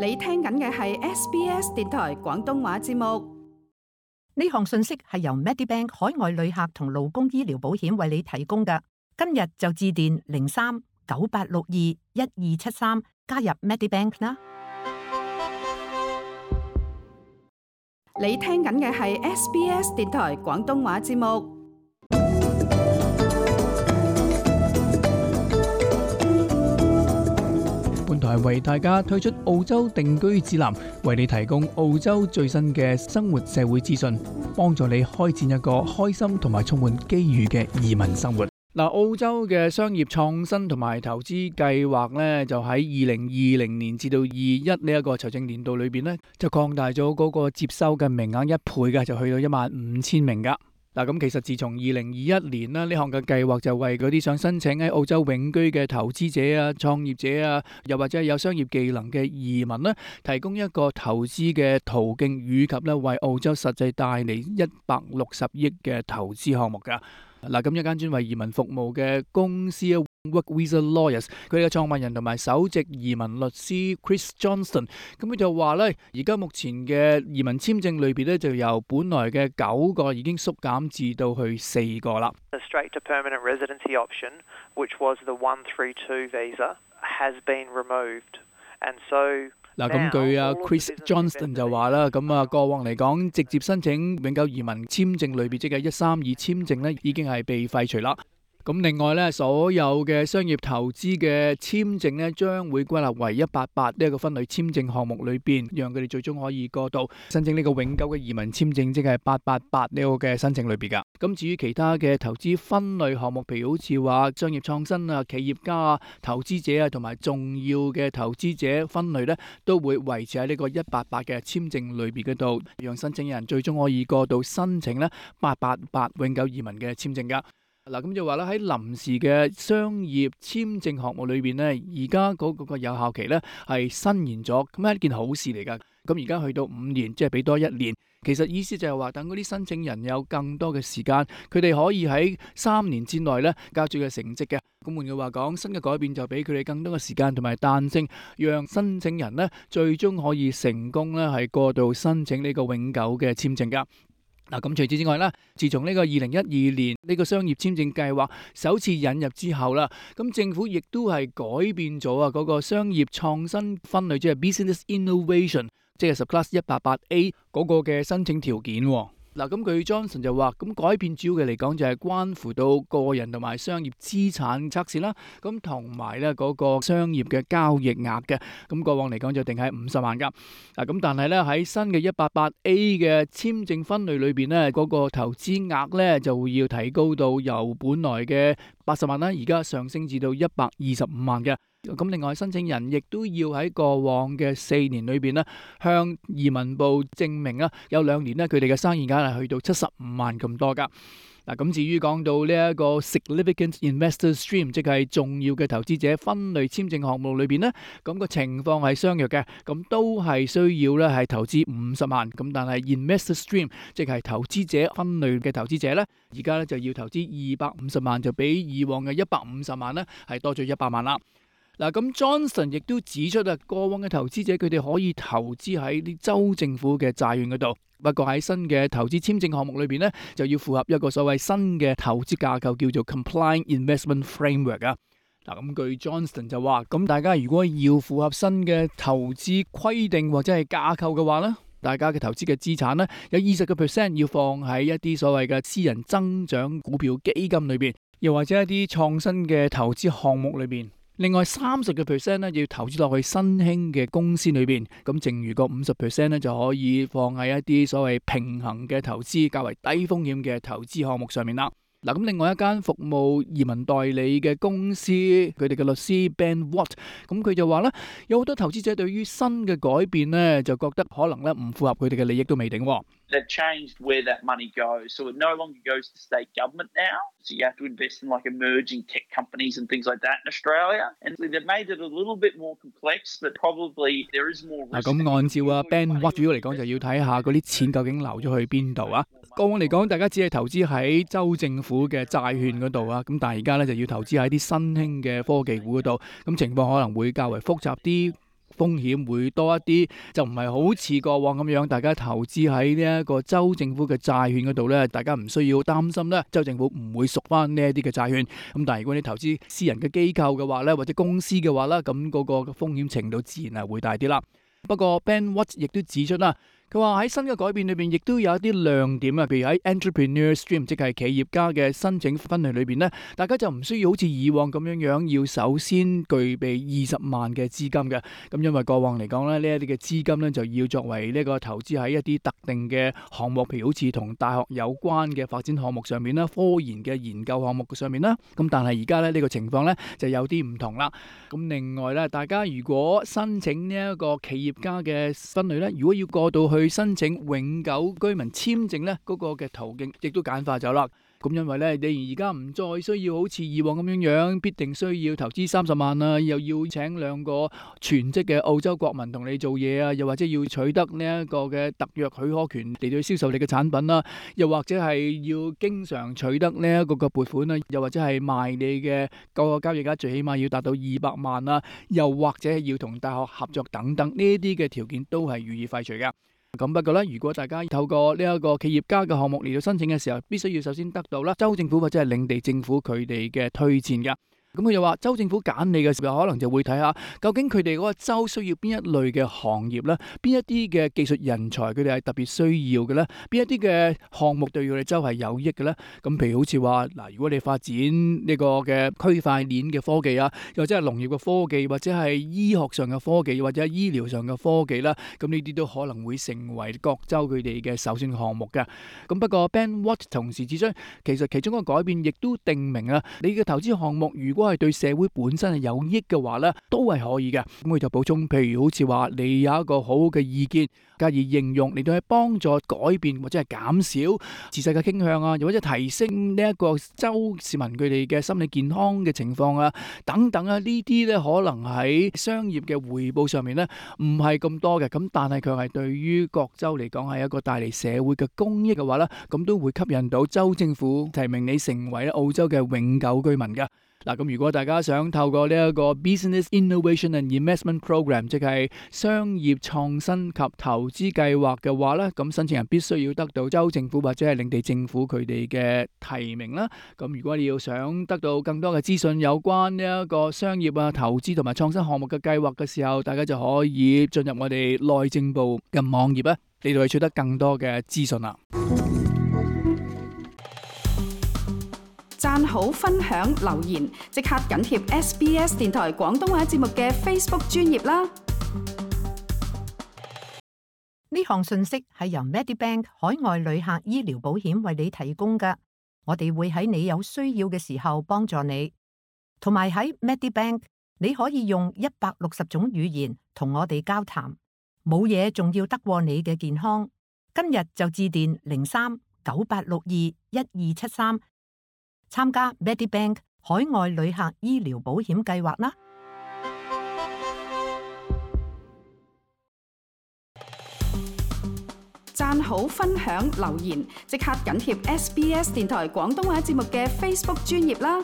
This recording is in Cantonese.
你聽緊嘅係 SBS 電台廣東話節目。呢項信息係由 Medibank 海外旅客同勞工醫療保險為你提供嘅。今日就致電03-9862-1273加入 Medibank 啦。你聽緊嘅係 SBS 電台廣東話節目。本台為大家推出澳洲定居指南，為你提供澳洲最新嘅生活社會資訊，幫助你開展一個開心同埋充滿機遇嘅移民生活。澳洲嘅商業創新同埋投資計劃呢，就喺2020年至到21呢一個財政年度裏邊呢，就擴大咗嗰個接收嘅名額1倍嘅，就去到15000名噶。咁其實自從2021年啦，呢項嘅計劃就為嗰啲想申請喺澳洲永居嘅投資者啊、創業者啊，又或者係有商業技能嘅移民呢，提供一個投資嘅途徑，以及呢為澳洲實際帶嚟160億嘅投資項目噶。咁一間專為移民服務嘅公司 Work Visa Lawyers， 佢哋嘅創辦人同埋首席移民律師 Chris Johnston， 咁佢就話呢，而家目前嘅移民簽證類別呢，就由本來嘅9個已經縮減至到去4個啦。The straight to permanent residency option, which was the 132 visa, has been removed, and so咁據Chris Johnston 就話啦，過往嚟講，直接申請永久移民簽證類別即係132簽證呢，已經係被廢除啦。咁另外呢，所有嘅商業投資嘅簽證呢，將會歸納為188呢一個分類簽證項目裏邊，讓佢哋最終可以過渡申請呢個永久嘅移民簽證，即係888呢個嘅申請類別噶。咁至於其他嘅投資分類項目，譬如好似話商業創新啊、企業家啊、投資者啊同埋重要嘅投資者分類呢，都會維持喺呢個188嘅簽證類別嗰度，讓申請人最終可以過渡申請呢888永久移民嘅簽證噶。咁就話咧，喺臨時嘅商業簽證項目裏邊呢，而家嗰個有效期呢係伸延咗，咁係一件好事嚟噶。咁而家去到5年，即係俾多1年。其實意思就係話，等嗰啲申請人有更多嘅時間，佢哋可以喺3年之內呢交出嘅成績嘅。咁換句話講，新嘅改變就俾佢哋更多嘅時間同埋彈性，讓申請人呢最終可以成功呢係過渡申請呢個永久嘅簽證噶。咁除此之外啦，自從呢個2012年呢個商業簽證計劃首次引入之後啦，咁政府亦都係改變咗嗰個商業創新分類，即係 Business Innovation， 即係 Subclass 188A 嗰個嘅申請條件。咁佢 Johnson 就話，咁改變主要嘅嚟講就係關乎到個人同埋商業資產測試啦，咁同埋咧嗰個商業嘅交易額嘅，咁過往嚟講就定喺50萬噶。咁但係咧喺新嘅188A 嘅簽證分類裏邊咧，嗰個投資額咧就會要提高到由本來嘅80萬啦，而家上升至到125萬嘅。咁另外申請人亦都要喺過往嘅4年裏邊呢，向移民部證明啊，有2年呢，佢哋嘅生意額係去到75萬咁多噶。咁至於講到呢一個 Significant Investor Stream， 即係重要嘅投資者分類簽證項目裏邊呢，咁個情況係相若嘅，咁都係需要咧係投資50萬。咁但係 Investor Stream， 即係投資者分類嘅投資者呢，而家咧就要投資250萬，就比以往嘅150萬呢係多咗100萬啦。咁 Johnson 亦都指出過往嘅投資者佢哋可以投資喺啲州政府嘅債券嗰度，不過喺新嘅投資簽證項目裏邊呢，就要符合一個所謂新嘅投資架構，叫做 Compliant Investment Framework 啊。咁據 Johnson 就話，咁大家如果要符合新嘅投資規定或者係架構嘅話呢，大家嘅投資嘅資產呢，有20% 要放喺一啲所謂嘅私人增長股票基金裏邊，又或者一啲創新嘅投資項目裏邊。另外30% 咧要投資落去新興嘅公司裏邊，咁剩餘個50% 咧就可以放喺一啲所謂平衡嘅投資、較為低風險嘅投資項目上面啦。咁另外一間服務移民代理嘅公司，佢哋嘅律師 Ben Watt， 咁佢就話咧，有好多投資者對於新嘅改變咧，就覺得可能咧唔符合佢哋嘅利益都未定。They've changed where that money goes, so it no longer goes to state government now. So you have to invest in like emerging tech companies and things like that in Australia. And they've made it a little bit more complex, but probably there is more risk. 咁按照Ben Watt 主要嚟講，就要睇下嗰啲錢究竟流咗去邊度啊？過往嚟講，大家只係投資喺州政府嘅債券嗰度啊，咁但係而家咧就要投資喺啲新興嘅科技股嗰度，咁情況可能會較為複雜啲。風險會多一啲，就唔係好似過往咁樣，大家投資喺呢一個州政府嘅債券嗰度咧，大家唔需要擔心咧，州政府唔會贖翻呢一啲嘅債券。咁但係如果你投資私人嘅機構嘅話咧，或者公司嘅話咧，咁嗰個風險程度自然係會大啲啦。不過 Ben Watts 亦都指出啦，佢話喺新嘅改變裏邊，亦都有一啲亮點啊，譬如喺 Entrepreneur Stream， 即係企業家嘅申請分類裏邊咧，大家就唔需要好似以往咁樣樣，要首先具備20萬嘅資金嘅。咁因為過往嚟講咧，呢一啲嘅資金咧就要作為呢個投資喺一啲特定嘅項目，譬如好似同大學有關嘅發展項目上面啦，科研嘅研究項目上面啦。咁但係而家咧呢個情況咧就有啲唔同啦。咁另外咧，大家如果申請呢一個企業家嘅分類咧，如果要過到去申請永久居民簽證咧，嗰個嘅途徑亦都簡化咗啦。咁因為咧，你而家唔再需要好似以往咁樣樣，必定需要投資30萬啊，又要請2個全職嘅澳洲國民同你做嘢啊，又或者要取得呢一個嘅特約許可權嚟到銷售你嘅產品啦，又或者係要經常取得呢一個嘅撥款啦，又或者係賣你嘅個交易額最起碼要達到200萬啦，又或者係要同大學合作等等，呢啲嘅條件都係予以廢除嘅。咁不過咧，如果大家透過呢一個企業家嘅項目嚟到申請嘅時候，必須要首先得到啦州政府或者係領地政府佢哋嘅推薦噶。咁佢就話州政府揀你嘅時候，可能就會睇下究竟佢哋嗰個州需要邊一類嘅行業咧，邊一啲嘅技術人才佢哋係特別需要嘅咧，邊一啲嘅項目對佢哋州係有益嘅咧。咁譬如好似話嗱，如果你發展呢個嘅區塊鏈嘅科技啊，又或者係農業嘅科技，或者係醫學上嘅科技，或者係醫療上嘅科技啦，咁呢啲都可能會成為各州佢哋嘅首選項目嘅。咁不過 Ben Watt 同時指出，其實其中一個改變亦都定明啊，你嘅投資項目如果係對社會本身係有益嘅話咧，都係可以嘅。咁佢就補充，譬如好似話你有一個好嘅意見，加以應用嚟到去幫助改變或者係減少自殺嘅傾向啊，又或者提升呢一個州市民佢哋嘅心理健康嘅情況啊，等等啊，呢啲咧可能喺商業嘅回報上面咧唔係咁多嘅，咁但係佢係對於各州嚟講係一個帶嚟社會嘅公益嘅話咧，咁都會吸引到州政府提名你成為澳洲嘅永久居民嘅。嗱，咁如果大家想透過呢一個 Business Innovation and Investment Program， 即係商業創新及投資計劃嘅話咧，咁申請人必須要得到州政府或者係領地政府佢哋嘅提名啦。咁如果你要想得到更多嘅資訊有關呢一個商業啊、投資同埋創新項目嘅計劃嘅時候，大家就可以進入我哋內政部嘅網頁啊，嚟到去取得更多嘅資訊啦。讚好、分享、留言，即刻緊貼 SBS 電台廣東話節目嘅 Facebook 專頁啦！呢項信息係由 Medibank 海外旅客醫療保險為你提供㗎，我哋會喺你有需要嘅時候幫助你。同埋喺 Medibank， 你可以用160種語言同我哋交談，冇嘢仲要得過你嘅健康。今日就致電03-9862-1273。參加 Medibank 海外旅客醫療保險計劃啦！讚好、分享、留言，即刻緊貼SBS 電台廣東話節目嘅 Facebook 專頁啦！